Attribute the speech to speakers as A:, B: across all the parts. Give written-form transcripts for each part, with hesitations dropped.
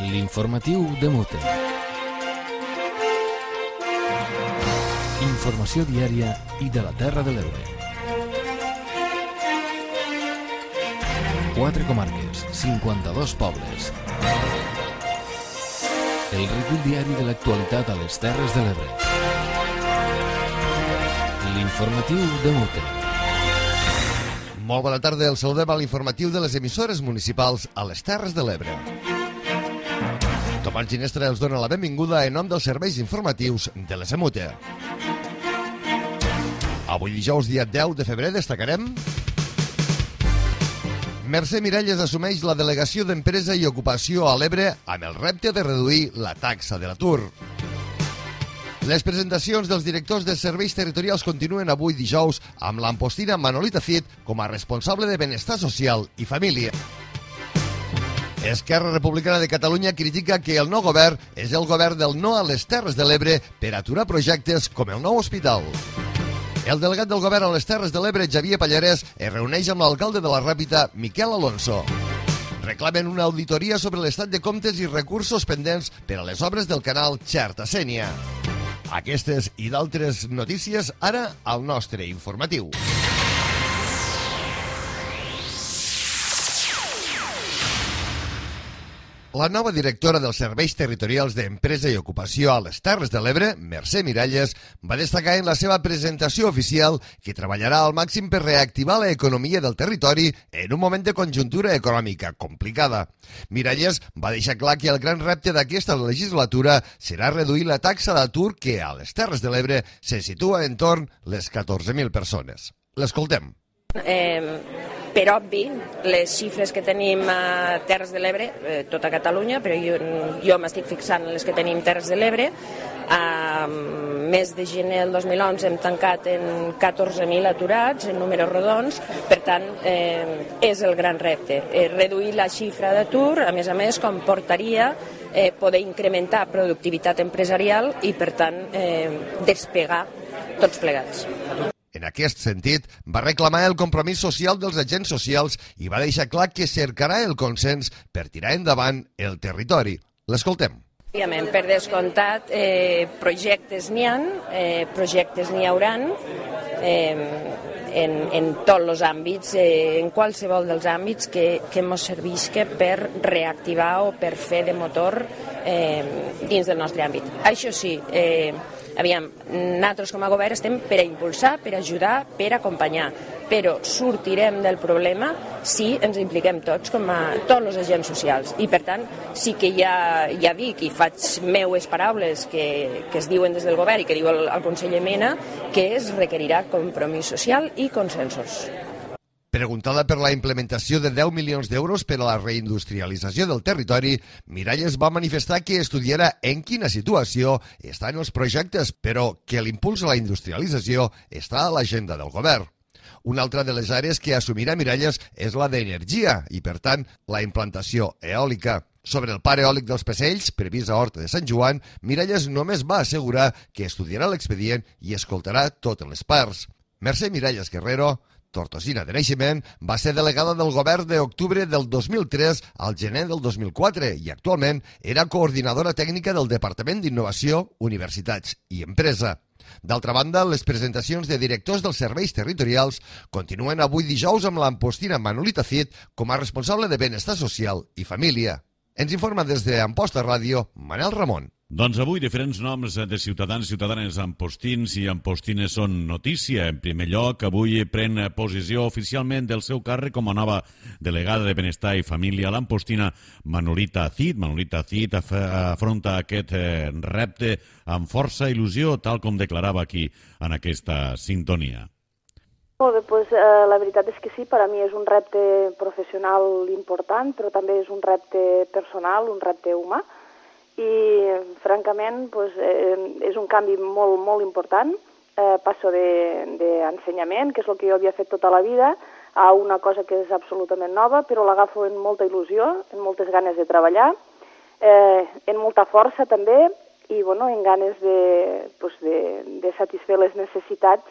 A: L'informatiu de Mute. Informació diària i de la Terra de l'Ebre. 4 comarques, 52 pobles. El recull diari de l'actualitat a les Terres de l'Ebre. L'informatiu de Mute.
B: Molt bona tarda, el saludem a l'informatiu de les emissores municipals a les Terres de l'Ebre. Tomàs Ginestra els dona la benvinguda en nom dels serveis informatius de la Semute. Avui dijous, dia 10 de febrer, destacarem: Mercè Miralles assumeix la delegació d'Empresa i Ocupació a l'Ebre amb el repte de reduir la taxa de l'atur. Les presentacions dels directors de serveis territorials continuen avui dijous amb l'ampostina Manolita Cid com a responsable de Benestar Social i Família. Esquerra Republicana de Catalunya critica que el nou govern és el govern del no a les Terres de l'Ebre per aturar projectes com el nou hospital. El delegat del govern a les Terres de l'Ebre, Xavier Pallarès, es reuneix amb l'alcalde de la Ràpita, Miquel Alonso. Reclamen una auditoria sobre l'estat de comptes i recursos pendents per a les obres del canal Xerta-Sénia. Aquestes i d'altres notícies ara al nostre informatiu. La nova directora dels Serveis Territorials d'Empresa i Ocupació a les Terres de l'Ebre, Mercè Miralles, va destacar en la seva presentació oficial que treballarà al màxim per reactivar l'economia del territori en un moment de conjuntura econòmica complicada. Miralles va deixar clar que el gran repte d'aquesta legislatura serà reduir la taxa d'atur que a les Terres de l'Ebre se situa entorn les 14.000 persones. L'escoltem.
C: Per obvi, les xifres que tenim a Terres de l'Ebre, tota Catalunya, però jo m'estic fixant en les que tenim Terres de l'Ebre. A mes de gener del 2011 hem tancat en 14.000 aturats, en números rodons, per tant, és el gran repte. Reduir la xifra d'atur, a més, comportaria poder incrementar productivitat empresarial i, per tant, despegar tots plegats.
B: En aquest sentit, va reclamar el compromís social dels agents socials i va deixar clar que cercarà el consens per tirar endavant el territori. L'escoltem.
C: Òbviament, per descomptat, projectes n'hi ha, projectes n'hi hauran en tots els àmbits, en qualsevol dels àmbits que ens servisca per reactivar o per fer de motor dins del nostre àmbit. Això sí, nosaltres com a govern estem per a impulsar, per a ajudar, per a acompanyar, però sortirem del problema si ens impliquem tots, com a tots els agents socials. I per tant, sí que ja dic i faig meues paraules que es diuen des del govern i que diu el conseller Mena, que es requerirà compromís social i consensos.
B: Preguntada per la implementació de 10 milions d'euros per a la reindustrialització del territori, Miralles va manifestar que estudiarà en quina situació estan els projectes, però que l'impuls a la industrialització està a l'agenda del govern. Una altra de les àrees que assumirà Miralles és la d'energia i, per tant, la implantació eòlica. Sobre el parc eòlic dels Passells, previst a Horta de Sant Joan, Miralles només va assegurar que estudiarà l'expedient i escoltarà totes les parts. Mercè Miralles Guerrero, tortosina de naixement, va ser delegada del govern d'octubre del 2003 al gener del 2004 i actualment era coordinadora tècnica del Departament d'Innovació, Universitats i Empresa. D'altra banda, les presentacions de directors dels serveis territorials continuen avui dijous amb l'ampostina Manolita Cid com a responsable de Benestar Social i Família. Ens informa des d'Amposta Ràdio, Manel Ramon.
D: Doncs avui diferents noms de ciutadans i ciutadanes ampostins i ampostines són notícia. En primer lloc, avui pren posició oficialment del seu càrrec com a nova delegada de Benestar i Família l'ampostina Manolita Cid. Manolita Cid afronta aquest repte amb força il·lusió, tal com declarava aquí en aquesta sintonia.
E: Molt bé, doncs la veritat és que sí, per a mi és un repte professional important, però també és un repte personal, un repte humà. I, francament, és un canvi molt, molt important. Passo d'ensenyament, que és el que jo havia fet tota la vida, a una cosa que és absolutament nova, però l'agafo amb molta il·lusió, amb moltes ganes de treballar, amb molta força també, i en ganes de satisfer les necessitats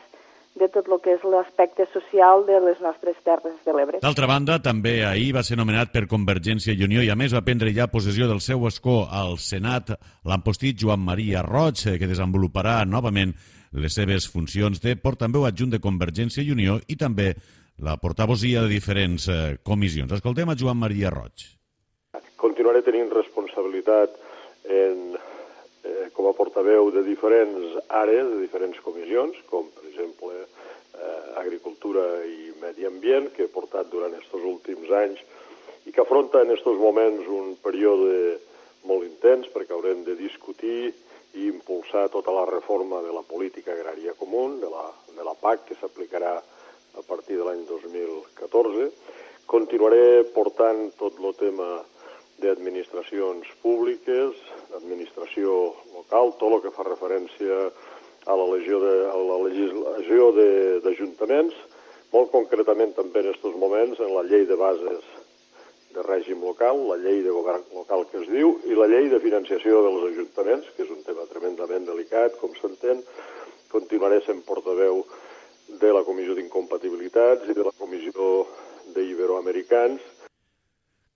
E: de tot el que és l'aspecte social de les nostres Terres de l'Ebre.
D: D'altra banda, també ahir va ser nomenat per Convergència i Unió i a més va prendre ja possessió del seu escó al Senat l'ampostit Joan Maria Roig, que desenvoluparà novament les seves funcions de portaveu adjunt de Convergència i Unió i també la portavosia de diferents comissions. Escoltem a Joan Maria Roig.
F: Continuaré tenint responsabilitat com a portaveu de diferents àrees, de diferents comissions, com per exemple Agricultura i Medi Ambient, que he portat durant aquests últims anys i que afronta en aquests moments un període molt intens perquè haurem de discutir i impulsar tota la reforma de la política agrària comú, de la PAC, que s'aplicarà a partir de l'any 2014. Continuaré portant tot el tema d'administracions públiques, administració local, tot el que fa referència a la legislació d'ajuntaments, molt concretament també en aquests moments en la llei de bases de règim local, la llei de govern local que es diu, i la llei de financiació dels ajuntaments, que és un tema tremendament delicat, com s'entén. Continuaré sent portaveu de la Comissió d'Incompatibilitats i de la Comissió d'Iberoamericans.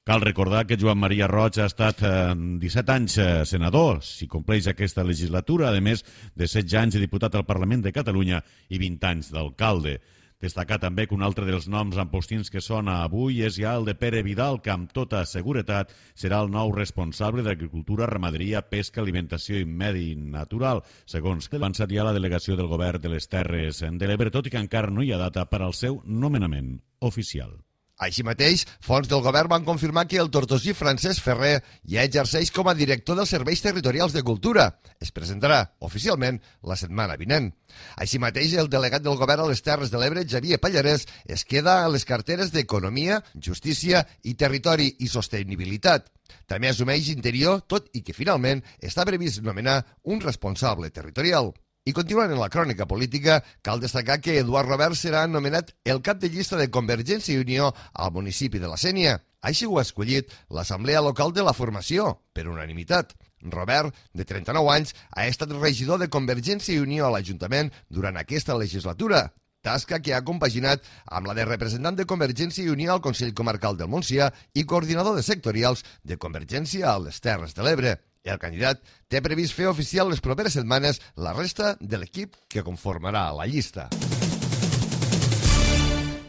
D: Cal recordar que Joan Maria Roig ha estat 17 anys senador, si compleix aquesta legislatura, a més de 16 anys de diputat al Parlament de Catalunya i 20 anys d'alcalde. Destacar també que un altre dels noms ampostins que sona avui és ja el de Pere Vidal, que amb tota seguretat serà el nou responsable d'Agricultura, Ramaderia, Pesca, Alimentació i Medi Natural, segons que ha avançat ja la delegació del govern de les Terres de l'Ebre, tot i que encara no hi ha data per al seu nomenament oficial.
B: Així mateix, fonts del govern van confirmar que el tortosí Francesc Ferrer ja exerceix com a director dels Serveis Territorials de Cultura. Es presentarà oficialment la setmana vinent. Així mateix, el delegat del govern a les Terres de l'Ebre, Xavier Pallarès, es queda a les carteres d'Economia, Justícia i Territori i Sostenibilitat. També assumeix Interior, tot i que finalment està previst nomenar un responsable territorial. I continuant en la crònica política, cal destacar que Eduard Robert serà nomenat el cap de llista de Convergència i Unió al municipi de la Sénia. Així ho ha escollit l'Assemblea Local de la Formació, per unanimitat. Robert, de 39 anys, ha estat regidor de Convergència i Unió a l'Ajuntament durant aquesta legislatura, tasca que ha compaginat amb la de representant de Convergència i Unió al Consell Comarcal del Montsià i coordinador de sectorials de Convergència a les Terres de l'Ebre. El candidat té previst fer oficial les properes setmanes la resta de l'equip que conformarà la llista.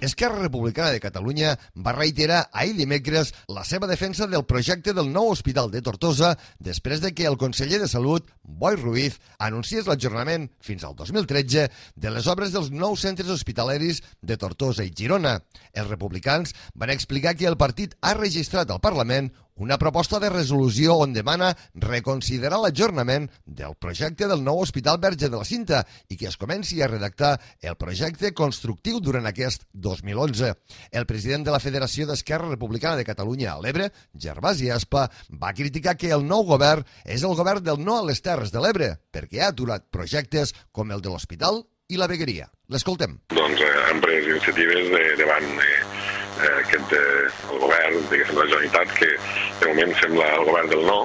B: Esquerra Republicana de Catalunya va reiterar ahir dimecres la seva defensa del projecte del nou hospital de Tortosa després de que el conseller de Salut, Boi Ruiz, anunciés l'ajornament fins al 2013 de les obres dels nous centres hospitalaris de Tortosa i Girona. Els republicans van explicar que el partit ha registrat al Parlament una proposta de resolució on demana reconsiderar l'ajornament del projecte del nou Hospital Verge de la Cinta i que es comenci a redactar el projecte constructiu durant aquest 2011. El president de la Federació d'Esquerra Republicana de Catalunya a l'Ebre, Gervasi Aspa, va criticar que el nou govern és el govern del no a les Terres de l'Ebre perquè ha aturat projectes com el de l'hospital i la vegueria. L'escoltem.
G: Doncs han pres iniciatives davant el govern, diguéssim, la Generalitat, que de moment sembla el govern del no,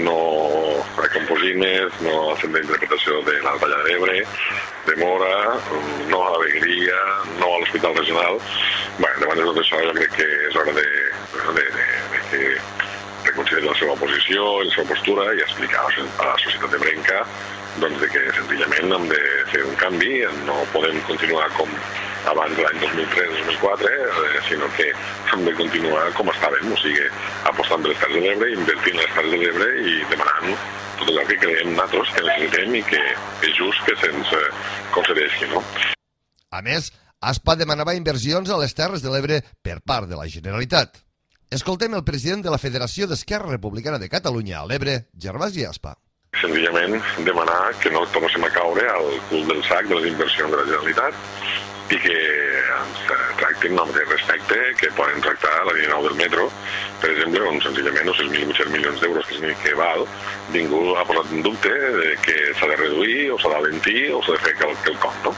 G: no a Camposines, no al Centre d'Interpretació de la Vall d'Ebre, de Mora, no a la vegueria, no a l'Hospital Regional. Davant de tot això jo crec que és hora de que reconsideri la seva posició, la seva postura i explicar a la societat ebrenca de que senzillament hem de fer un canvi, no podem continuar com abans de l'any 2003-2004, sinó que hem de continuar com estàvem, o sigui, apostant per les Terres de l'Ebre, invertint les Terres de l'Ebre i demanant tot allò que creiem nosaltres que necessitem i que és just que se'ns concedeixi, no?
B: A més, Aspa demanava inversions a les Terres de l'Ebre per part de la Generalitat. Escoltem el president de la Federació d'Esquerra Republicana de Catalunya a l'Ebre, Gervasi Aspa.
G: Senzillament demanar que no tornéssim a caure al cul del sac de les inversions de la Generalitat i que ens tractin amb el respecte que poden tractar la línia 9 del metro, per exemple, on senzillament els 6.800 milions d'euros que val, ningú ha posat en dubte que s'ha de reduir o s'ha d'alentir o s'ha de fer quelcom, no?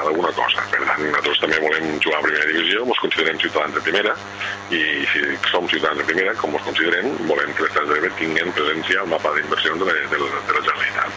G: Alguna cosa. Per tant, nosaltres també volem jugar a primera divisió, ens considerem ciutadans de primera i si som ciutadans de primera, com ens considerem, volem que les Terres de l'Ebre tinguin presència al mapa d'inversions de la Generalitat.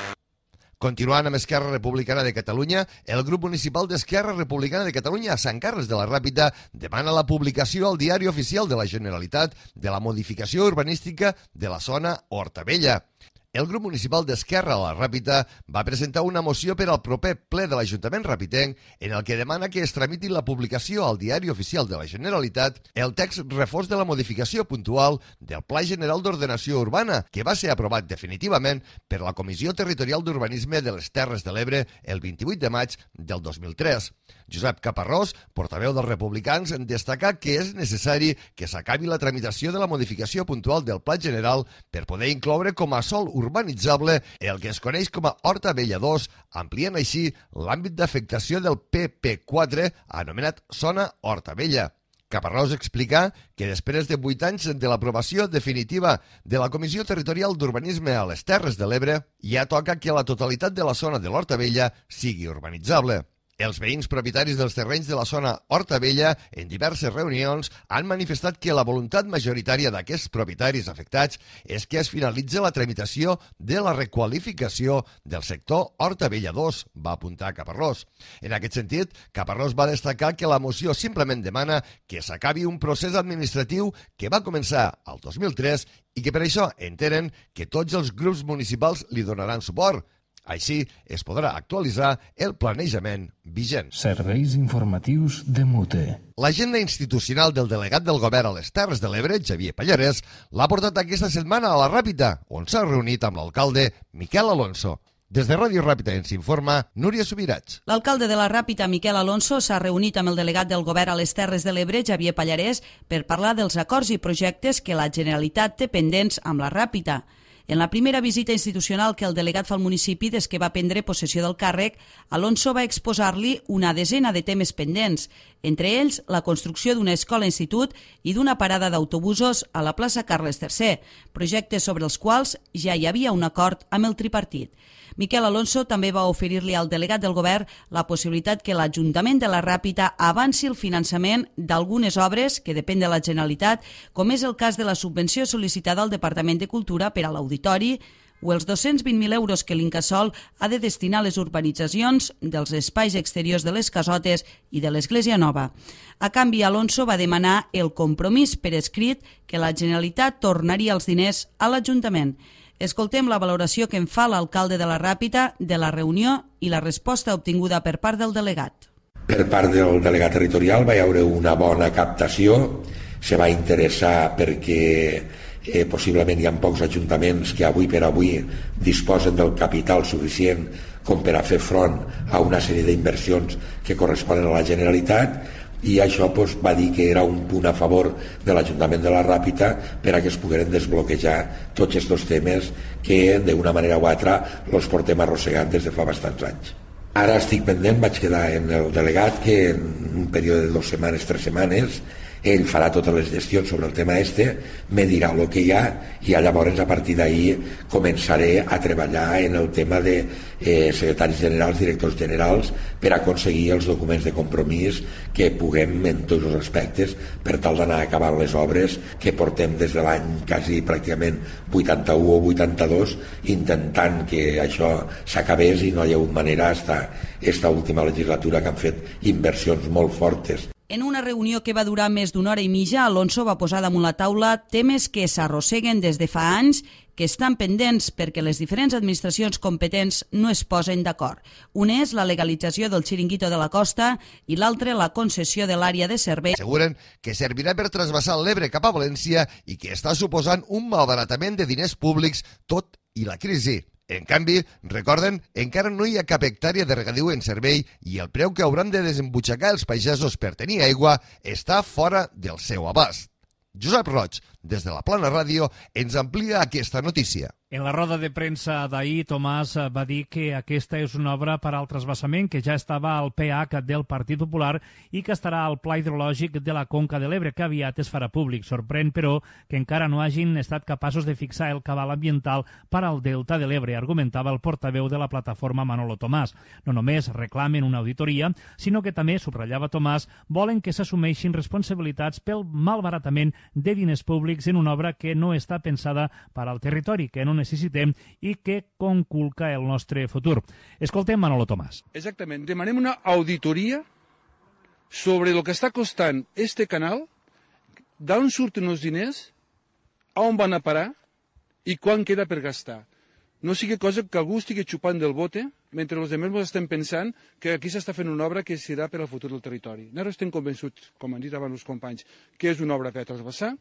B: Continuant amb Esquerra Republicana de Catalunya, el grup municipal d'Esquerra Republicana de Catalunya a Sant Carles de la Ràpita demana la publicació al Diari Oficial de la Generalitat de la modificació urbanística de la zona Horta Vella. El grup municipal d'Esquerra a la Ràpita va presentar una moció per al proper ple de l'Ajuntament ràpitenc en el que demana que es tramiti la publicació al Diari Oficial de la Generalitat el text reforç de la modificació puntual del Pla General d'Ordenació Urbana, que va ser aprovat definitivament per la Comissió Territorial d'Urbanisme de les Terres de l'Ebre el 28 de maig del 2003. Josep Caparrós, portaveu dels republicans, destacà que és necessari que s'acabi la tramitació de la modificació puntual del Pla General per poder incloure com a sòl urbanitzable el que es coneix com a Horta Vella 2, ampliant així l'àmbit d'afectació del PP4, anomenat Zona Horta Vella. Caparrós explica que després de 8 anys de l'aprovació definitiva de la Comissió Territorial d'Urbanisme a les Terres de l'Ebre, ja toca que la totalitat de la zona de l'Horta Vella sigui urbanitzable. Els veïns propietaris dels terrenys de la zona Horta Vella, en diverses reunions, han manifestat que la voluntat majoritària d'aquests propietaris afectats és que es finalitzi la tramitació de la requalificació del sector Horta Vella 2, va apuntar Caparrós. En aquest sentit, Caparrós va destacar que la moció simplement demana que s'acabi un procés administratiu que va començar el 2003 i que per això entenen que tots els grups municipals li donaran suport. Així es podrà actualitzar el planejament vigent.
A: Serveis informatius de Mute.
B: L'agenda institucional del delegat del govern a les Terres de l'Ebre, Xavier Pallarès, l'ha portat aquesta setmana a la Ràpita, on s'ha reunit amb l'alcalde Miquel Alonso. Des de Ràdio Ràpita ens informa Núria Subirats.
H: L'alcalde de la Ràpita, Miquel Alonso, s'ha reunit amb el delegat del govern a les Terres de l'Ebre, Xavier Pallarès, per parlar dels acords i projectes que la Generalitat té pendents amb la Ràpita. En la primera visita institucional que el delegat fa al municipi des que va prendre possessió del càrrec, Alonso va exposar-li una desena de temes pendents, entre ells la construcció d'una escola-institut i d'una parada d'autobusos a la plaça Carles III, projectes sobre els quals ja hi havia un acord amb el tripartit. Miquel Alonso també va oferir-li al delegat del govern la possibilitat que l'Ajuntament de la Ràpita avanci el finançament d'algunes obres que depèn de la Generalitat, com és el cas de la subvenció sol·licitada al Departament de Cultura per a l'auditori o els 220.000 euros que l'Incasòl ha de destinar a les urbanitzacions dels espais exteriors de les casotes i de l'Església Nova. A canvi, Alonso va demanar el compromís per escrit que la Generalitat tornaria els diners a l'Ajuntament. Escoltem la valoració que en fa l'alcalde de la Ràpita de la reunió i la resposta obtinguda per part del delegat.
I: Per part del delegat territorial va haver una bona captació, se va interessar perquè possiblement hi ha pocs ajuntaments que avui per avui disposen del capital suficient com per a fer front a una sèrie d'inversions que corresponen a la Generalitat, i això va dir que era un punt a favor de l'Ajuntament de la Ràpita per a que es pogueren desbloquejar tots aquests temes que d'una manera o altra els portem arrossegant des de fa bastants anys. Ara estic pendent, vaig quedar en el delegat que en un període de 2 setmanes, 3 setmanes, ell farà totes les gestions sobre el tema me dirà el que hi ha i llavors a partir d'ahir començaré a treballar en el tema de secretaris generals, directors generals per aconseguir els documents de compromís que puguem en tots els aspectes per tal d'anar acabant les obres que portem des de l'any quasi pràcticament 81 o 82 intentant que això s'acabés i no hi ha hagut manera esta última legislatura que han fet inversions molt fortes.
H: En una reunió que va durar més d'una hora i mitja, Alonso va posar damunt la taula temes que s'arrosseguen des de fa anys, que estan pendents perquè les diferents administracions competents no es posen d'acord. Un és la legalització del xiringuito de la costa i l'altre la concessió de l'àrea de servei.
B: Asseguren que servirà per trasbassar l'Ebre cap a València i que està suposant un malbaratament de diners públics tot i la crisi. En canvi, recorden, encara no hi ha cap hectàrea de regadiu en servei i el preu que hauran de desembutxacar els pagesos per tenir aigua està fora del seu abast. Josep Roig, des de la Plana Ràdio, ens amplia aquesta notícia.
J: En la roda de premsa d'ahir, Tomàs va dir que aquesta és una obra per al trasbassament que ja estava al PH del Partit Popular i que estarà al Pla Hidrològic de la Conca de l'Ebre, que aviat es farà públic. Sorprèn, però, que encara no hagin estat capaços de fixar el cabal ambiental per al Delta de l'Ebre, argumentava el portaveu de la plataforma Manolo Tomàs. No només reclamen una auditoria, sinó que també, subratllava Tomàs, volen que s'assumeixin responsabilitats pel malbaratament de diners públics en una obra que no està pensada per al territori, que en un necessitem i que conculca el nostre futur. Escoltem Manolo Tomàs.
K: Exactament. Demanem una auditoria sobre el que està costant este canal, d'on surten els diners, on van a parar i quan queda per gastar. No sigui cosa que algú estigui xupant del bote mentre els altres estem pensant que aquí s'està fent una obra que serà per al futur del territori. Nosaltres estem convençuts, com han dit abans els companys, que és una obra per a transversar,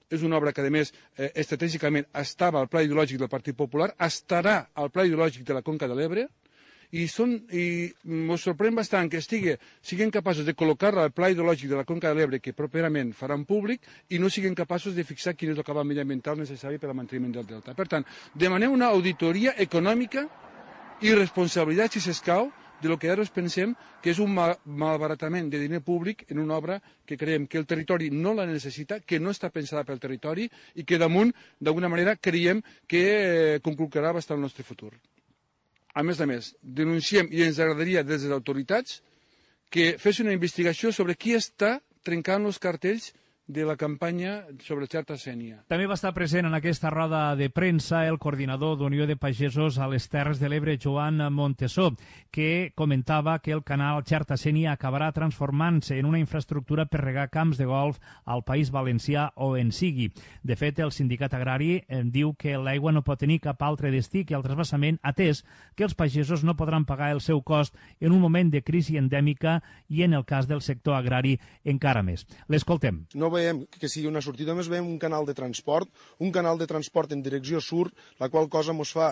K: és una obra que, a més, estratègicament estava al pla ideològic del Partit Popular, estarà al pla ideològic de la Conca de l'Ebre, i ens sorprèn bastant que siguin capaços de col·locar-la al pla ideològic de la Conca de l'Ebre, que properament faran públic, i no siguin capaços de fixar quin és el cabal mediambiental necessari per al manteniment del delta. Per tant, demanem una auditoria econòmica i responsabilitat, si s'escau, de lo que ara pensem que és un malbaratament de diner públic en una obra que creiem que el territori no la necessita, que no està pensada pel territori i que damunt, d'alguna manera, creiem que conculcarà bastant el nostre futur. A més, denunciem i ens agradaria des de les autoritats que fes una investigació sobre qui està trencant els cartells de la campanya sobre Xarta Sénia.
J: També va estar present en aquesta roda de premsa el coordinador d'Unió de Pagesos a les Terres de l'Ebre, Joan Montesó, que comentava que el canal Xarta Sénia acabarà transformant-se en una infraestructura per regar camps de golf al País Valencià o en sigui. De fet, el sindicat agrari diu que l'aigua no pot tenir cap altre destí que el transvasament, atès que els pagesos no podran pagar el seu cost en un moment de crisi endèmica i, en el cas del sector agrari, encara més. L'escoltem.
L: No veiem que sigui una sortida, només veiem un canal de transport en direcció sud, la qual cosa ens fa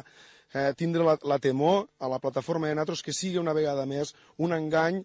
L: tindre la temor a la plataforma de nosaltres que sigui una vegada més un engany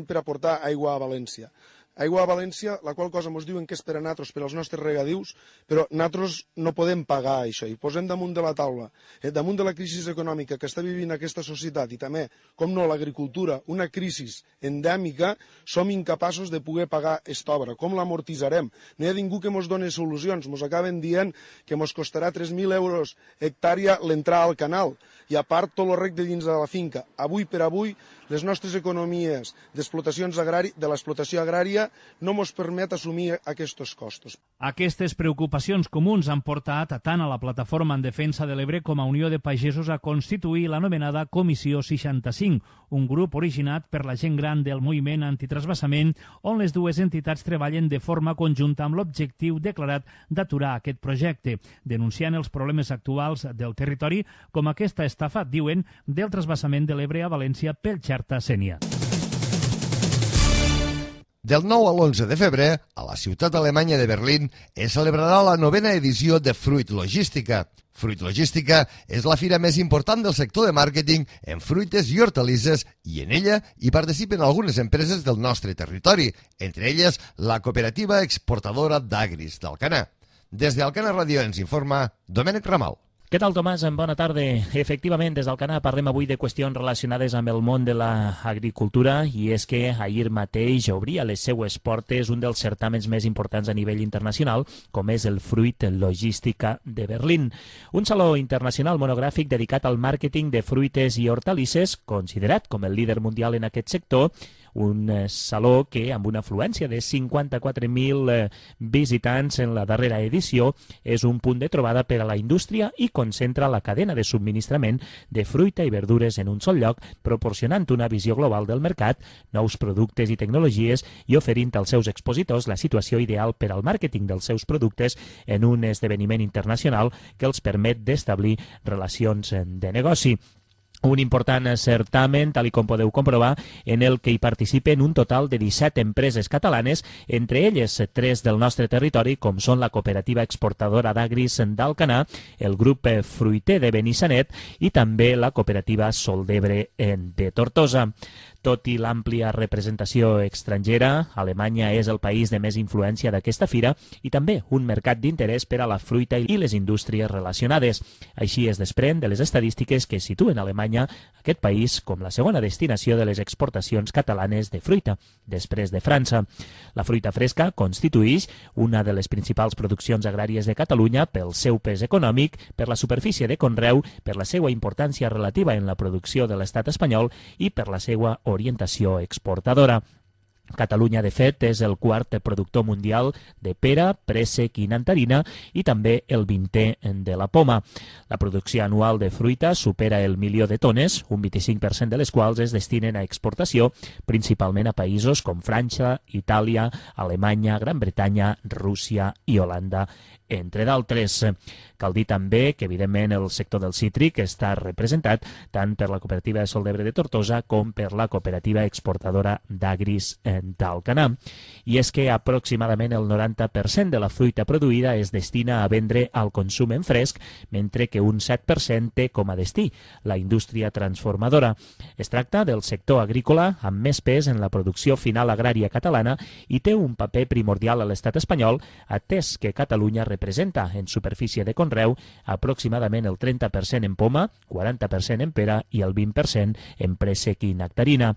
L: per aportar aigua a València. Aigua a València, la qual cosa ens diuen que és per a nosaltres, per als nostres regadius, però nosaltres no podem pagar això. I posem damunt de la taula, damunt de la crisi econòmica que està vivint aquesta societat i també, com no, l'agricultura, una crisi endèmica, som incapaços de poder pagar aquesta obra. Com l'amortitzarem? No hi ha ningú que ens doni solucions. Ens acaben dient que ens costarà 3.000 euros hectàrea l'entrar al canal i a part tot el rec de dins de la finca. Avui per avui, les nostres economies d'explotacions de l'explotació agrària no ens permet assumir aquests costos.
J: Aquestes preocupacions comuns han portat tant a la Plataforma en Defensa de l'Ebre com a Unió de Pagesos a constituir l'anomenada Comissió 65, un grup originat per la gent gran del moviment antitrasbassament, on les dues entitats treballen de forma conjunta amb l'objectiu declarat d'aturar aquest projecte, denunciant els problemes actuals del territori com aquesta estafa, diuen, del trasbassament de l'Ebre a València pel Xarta Sénia.
B: Del 9 a l'11 de febrer, a la ciutat alemanya de Berlín, es celebrarà la 9ª edició de Fruit Logística. Fruit Logística és la fira més important del sector de màrqueting en fruites i hortalisses i en ella hi participen algunes empreses del nostre territori, entre elles la cooperativa exportadora d'Agris d'Alcanar. Des d'Alcanar Ràdio ens informa Domènec Ramal.
M: Què tal, Tomàs? Bona tarda. Efectivament, des d'Alcanar parlem avui de qüestions relacionades amb el món de l'agricultura i és que ahir mateix obria les seues portes un dels certàmens més importants a nivell internacional, com és el Fruit Logística de Berlín. Un saló internacional monogràfic dedicat al màrqueting de fruites i hortalisses, considerat com el líder mundial en aquest sector, un saló que, amb una afluència de 54.000 visitants en la darrera edició, és un punt de trobada per a la indústria i concentra la cadena de subministrament de fruita i verdures en un sol lloc, proporcionant una visió global del mercat, nous productes i tecnologies i oferint als seus expositors la situació ideal per al màrqueting dels seus productes en un esdeveniment internacional que els permet d'establir relacions de negoci. Un important certamen, tal com podeu comprovar, en el que hi participen un total de 17 empreses catalanes, entre elles 3 del nostre territori, com són la cooperativa exportadora d'Agris d'Alcanar, el grup fruiter de Benissanet i també la cooperativa Sol d'Ebre de Tortosa. Tot i l'àmplia representació estrangera, Alemanya és el país de més influència d'aquesta fira i també un mercat d'interès per a la fruita i les indústries relacionades. Així es desprèn de les estadístiques que situen Alemanya, aquest país, com la segona destinació de les exportacions catalanes de fruita, després de França. La fruita fresca constituïx una de les principals produccions agràries de Catalunya pel seu pes econòmic, per la superfície de conreu, per la seva importància relativa en la producció de l'estat espanyol i per la seva orientació exportadora. Catalunya, de fet, és el quart productor mundial de pera, préssec i nectarina i també el 20è de la poma. La producció anual de fruita supera el 1.000.000 de tones, un 25% de les quals es destinen a exportació, principalment a països com França, Itàlia, Alemanya, Gran Bretanya, Rússia i Holanda, entre d'altres. Cal dir també que, evidentment, el sector del cítric està representat tant per la Cooperativa de Sol d'Ebre de Tortosa com per la Cooperativa Exportadora d'Agris d'Alcanar. I és que aproximadament el 90% de la fruita produïda es destina a vendre al consum en fresc, mentre que un 7% té com a destí la indústria transformadora. Es tracta del sector agrícola amb més pes en la producció final agrària catalana i té un paper primordial a l'estat espanyol, atès que Catalunya representa en superfície de conreu aproximadament el 30% en poma, 40% en pera i el 20% en préssec i nectarina.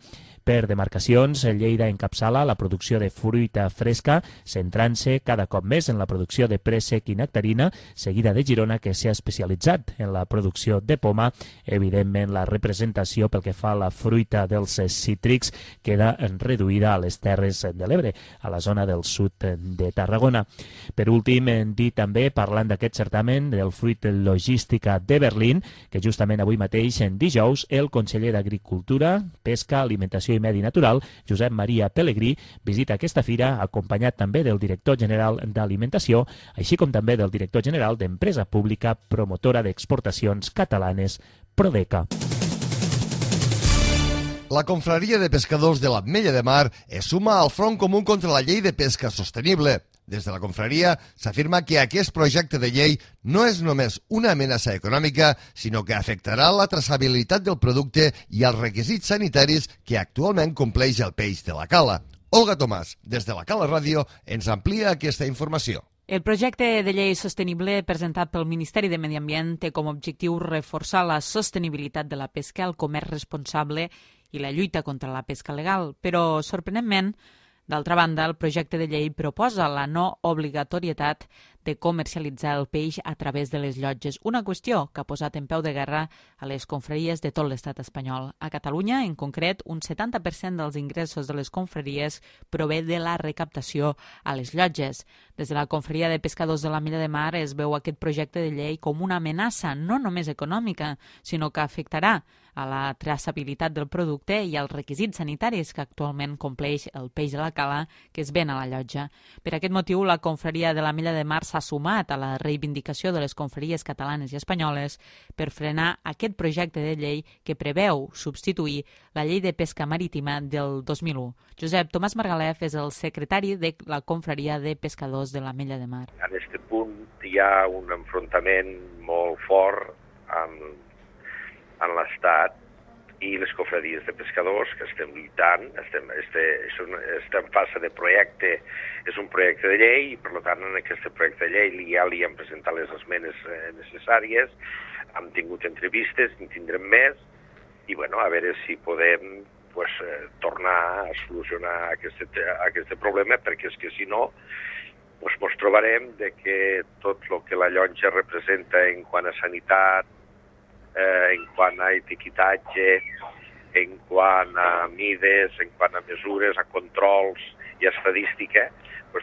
M: Per demarcacions, Lleida encapçala la producció de fruita fresca, centrant-se cada cop més en la producció de préssec i nectarina, seguida de Girona, que s'ha especialitzat en la producció de poma. Evidentment, la representació pel que fa a la fruita dels cítrics queda reduïda a les Terres de l'Ebre, a la zona del sud de Tarragona. Per últim, dir també, parlant d'aquest certamen del Fruit Logística de Berlín, que justament avui mateix, en dijous, el conseller d'Agricultura, Pesca, Alimentació i Medi Natural, Josep Maria Pellegrí, visita aquesta fira acompanyat també del director general d'Alimentació, així com també del director general d'Empresa Pública Promotora d'Exportacions Catalanes, Prodeca.
B: La confraria de pescadors de l'Ametlla de Mar es suma al Front Comú contra la Llei de Pesca Sostenible. Des de la confraria s'afirma que aquest projecte de llei no és només una amenaça econòmica, sinó que afectarà la traçabilitat del producte i els requisits sanitaris que actualment compleix el peix de la cala. Olga Tomàs, des de la Cala Ràdio, ens amplia aquesta informació.
N: El projecte de llei sostenible presentat pel Ministeri de Medi Ambient té com a objectiu reforçar la sostenibilitat de la pesca, el comerç responsable i la lluita contra la pesca legal, però, sorprenentment, d'altra banda, el projecte de llei proposa la no obligatorietat de comercialitzar el peix a través de les llotges, una qüestió que ha posat en peu de guerra a les confraries de tot l'estat espanyol. A Catalunya, en concret, un 70% dels ingressos de les confraries prové de la recaptació a les llotges. Des de la confraria de pescadors de l'Ametlla de Mar es veu aquest projecte de llei com una amenaça no només econòmica, sinó que afectarà a la traçabilitat del producte i als requisits sanitaris que actualment compleix el peix de la cala que es ven a la llotja. Per aquest motiu, la confraria de l'Ametlla de Mar s'ha sumat a la reivindicació de les confraries catalanes i espanyoles per frenar aquest projecte de llei que preveu substituir la llei de pesca marítima del 2001. Josep Tomàs Margalef és el secretari de la confraria de pescadors de l'Ametlla de Mar.
O: En aquest punt hi ha un enfrontament molt fort en l'Estat i les confraries de pescadors que estem lluitant, estem en fase de projecte, és un projecte de llei i per tant en aquest projecte de llei ja li hem presentat les esmenes necessàries, hem tingut entrevistes, en tindrem més i bueno, a veure si podem tornar a solucionar aquest problema perquè és que si no ens trobarem que tot el que la llotja representa en quant a sanitat, en quant a etiquetatge, en quant a mides, en quant a mesures, a controls i a estadística,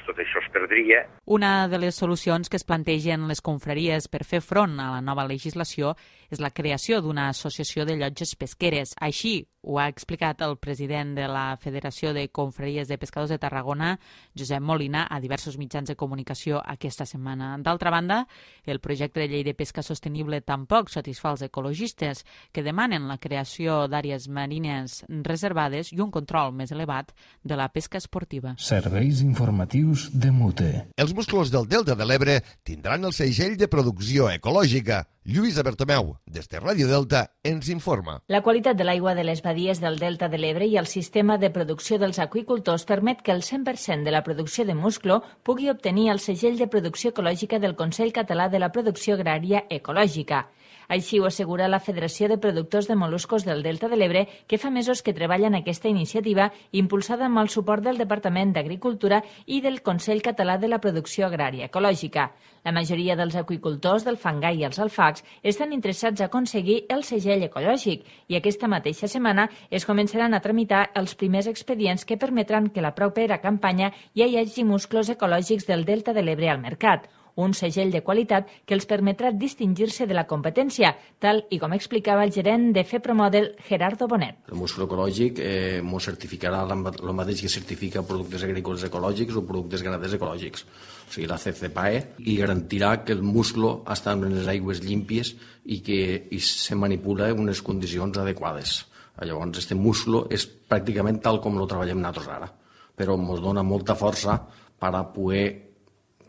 O: tot això es perdria.
N: Una de les solucions que es plantegen les confraries per fer front a la nova legislació és la creació d'una associació de llotges pesqueres. Així ho ha explicat el president de la Federació de Confraries de Pescadors de Tarragona, Josep Molina, a diversos mitjans de comunicació aquesta setmana. D'altra banda, el projecte de llei de pesca sostenible tampoc satisfà els ecologistes, que demanen la creació d'àrees marines reservades i un control més elevat de la pesca esportiva.
A: Serveis informatius de Mute.
B: Els musclos del Delta de l'Ebre tindran el segell de producció ecològica. Lluïsa Bertomeu, des de Ràdio Delta, ens informa.
P: La qualitat de l'aigua de les badies del Delta de l'Ebre i el sistema de producció dels aqüicultors permet que el 100% de la producció de musclo pugui obtenir el segell de producció ecològica del Consell Català de la Producció Agrària Ecològica. Així ho assegura la Federació de Productors de Mol·luscos del Delta de l'Ebre, que fa mesos que treballa en aquesta iniciativa, impulsada amb el suport del Departament d'Agricultura i del Consell Català de la Producció Agrària Ecològica. La majoria dels aqüicultors del Fangar i els Alfacs Tabacs estan interessats a aconseguir el segell ecològic i aquesta mateixa setmana es començaran a tramitar els primers expedients que permetran que la propera campanya ja hi hagi musclos ecològics del Delta de l'Ebre al mercat, un segell de qualitat que els permetrà distingir-se de la competència, tal i com explicava el gerent de FEPROMODEL, Gerardo Bonet.
Q: El musclo ecològic ens certificarà el mateix que certifica productes agrícoles ecològics o productes ganaders ecològics, o sigui, la CCPAE, i garantirà que el musclo està en les aigües límpies i que se manipula en unes condicions adequades. Llavors, aquest musclo és pràcticament tal com el treballem nosaltres ara, però ens dona molta força per a poder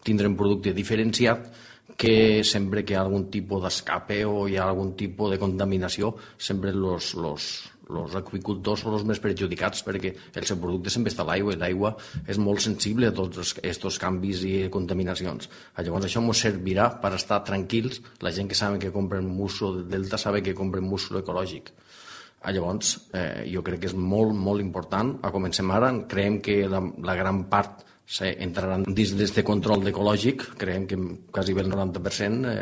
Q: tindre un producte diferenciat que sempre que hi ha algun tipus d'escape o hi ha algun tipus de contaminació, sempre els aqüicultors són els més perjudicats perquè el seu producte sempre està a l'aigua i l'aigua és molt sensible a tots aquests canvis i contaminacions. Llavors això ens servirà per estar tranquils, la gent que sabe que compren musclo del Delta sabe que compren musclo ecològic. Llavors jo crec que és molt, molt important. Comencem ara, creiem que la gran part entraran dins d'aquest control ecològic, creiem que quasi el 90%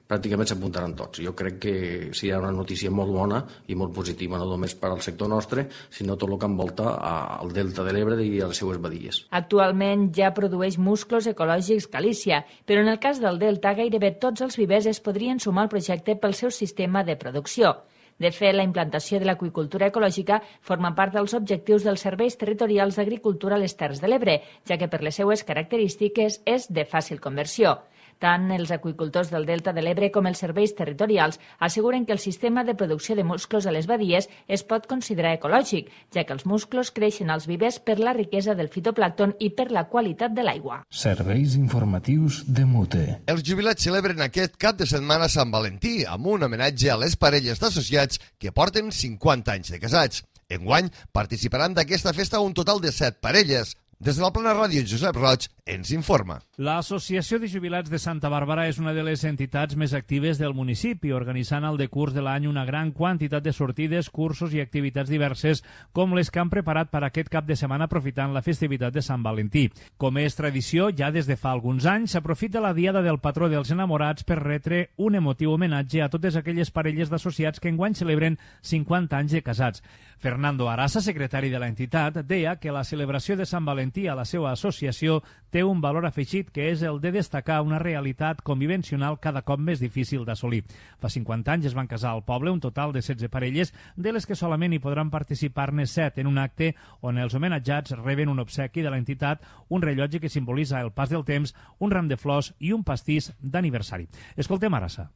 Q: pràcticament s'apuntaran tots. Jo crec que serà una notícia molt bona i molt positiva, no només per al sector nostre, sinó tot el que envolta al Delta de l'Ebre i a les seues badies.
P: Actualment ja produeix musclos ecològics Galícia, però en el cas del Delta gairebé tots els vivers es podrien sumar al projecte pel seu sistema de producció. De fet, la implantació de l'aqüicultura ecològica forma part dels objectius dels serveis territorials d'agricultura a les Terres de l'Ebre, ja que per les seues característiques és de fàcil conversió. Tant els aqüicultors del Delta de l'Ebre com els serveis territorials asseguren que el sistema de producció de musclos a les badies es pot considerar ecològic, ja que els musclos creixen als vivers per la riquesa del fitoplàncton i per la qualitat de l'aigua.
A: Serveis informatius de Mute.
B: Els jubilats celebren aquest cap de setmana Sant Valentí amb un homenatge a les parelles d'associats que porten 50 anys de casats. Enguany participaran d'aquesta festa un total de 7 parelles. Des de la Plana Ràdio, Josep Roig ens informa.
J: L'Associació de Jubilats de Santa Bàrbara és una de les entitats més actives del municipi, organitzant al decurs de l'any una gran quantitat de sortides, cursos i activitats diverses, com les que han preparat per aquest cap de setmana aprofitant la festivitat de Sant Valentí. Com és tradició, ja des de fa alguns anys, s'aprofita la diada del patró dels enamorats per retre un emotiu homenatge a totes aquelles parelles d'associats que enguany celebren 50 anys de casats. Fernando Arasa, secretari de l'entitat, deia que la celebració de Sant Valentí a la seva associació té un valor afegit que és el de destacar una realitat convivencional cada cop més difícil d'assolir. Fa 50 anys es van casar al poble un total de 16 parelles, de les que solament hi podran participar-ne 7 en un acte on els homenatjats reben un obsequi de l'entitat, un rellotge que simbolitza el pas del temps, un ram de flors i un pastís d'aniversari. Escoltem Arasa.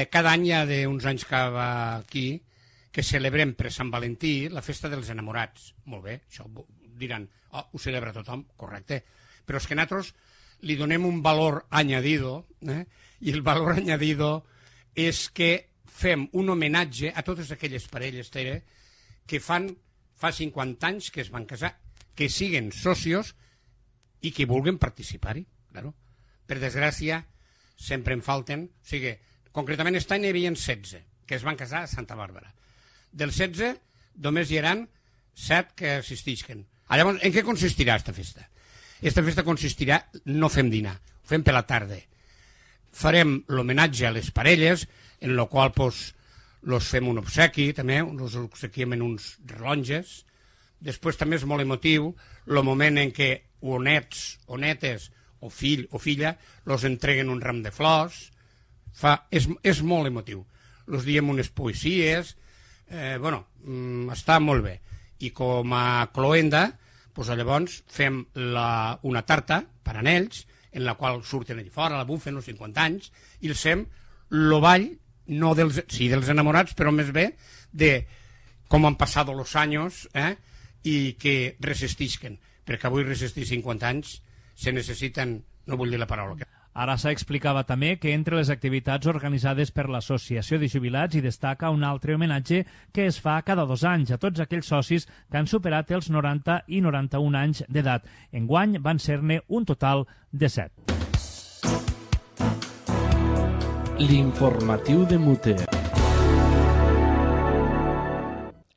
R: Cada any hi ha d'uns anys que va aquí que celebrem per Sant Valentí la festa dels enamorats. Molt bé, això diran, ho celebra tothom, correcte. Però és que nosaltres li donem un valor añadido, i el valor añadido és que fem un homenatge a totes aquelles parelles, Tere, que fa 50 anys que es van casar, que siguen socios i que vulguin participar-hi. Claro. Per desgràcia, sempre en falten. O sigui, concretament aquest any hi havia 16 que es van casar a Santa Bàrbara. Dels 16, només hi haran 7 que assistisquen. Llavors, en què consistirà aquesta festa? Aquesta festa consistirà, no fem dinar, ho fem per la tarda. Farem l'homenatge a les parelles, en la qual los fem un obsequi, també, els obsequiem en uns rellotges. Després també és molt emotiu el moment en què o nets o netes o fill o filla los entreguen un ram de flors. És molt emotiu. Los diem unes poesies, està molt bé. I com a cloenda, llavors fem una tarta per a ells, en la qual surten allà fora, la bufen els 50 anys, i els fem el ball, no dels enamorats, però més bé de com han passat els anys i que resistisquen, perquè avui resistir 50 anys se necessiten, no vull dir la paraula.
J: Arasa explicava també que entre les activitats organitzades per l'Associació de Jubilats hi destaca un altre homenatge que es fa cada 2 anys a tots aquells socis que han superat els 90 i 91 anys d'edat. Enguany van ser-ne un total de 7.
A: L'informatiu de Mute.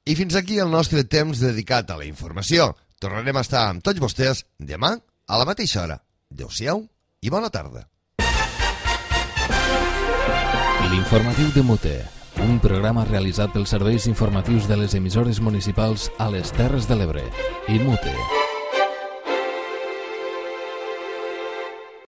B: I fins aquí el nostre temps dedicat a la informació. Tornarem a estar amb tots vostès demà a la mateixa hora. Adéu-siau i bona tarda.
A: L'informatiu de Mute, un programa realitzat pels serveis informatius de les emissores municipals a les Terres de l'Ebre i Mute.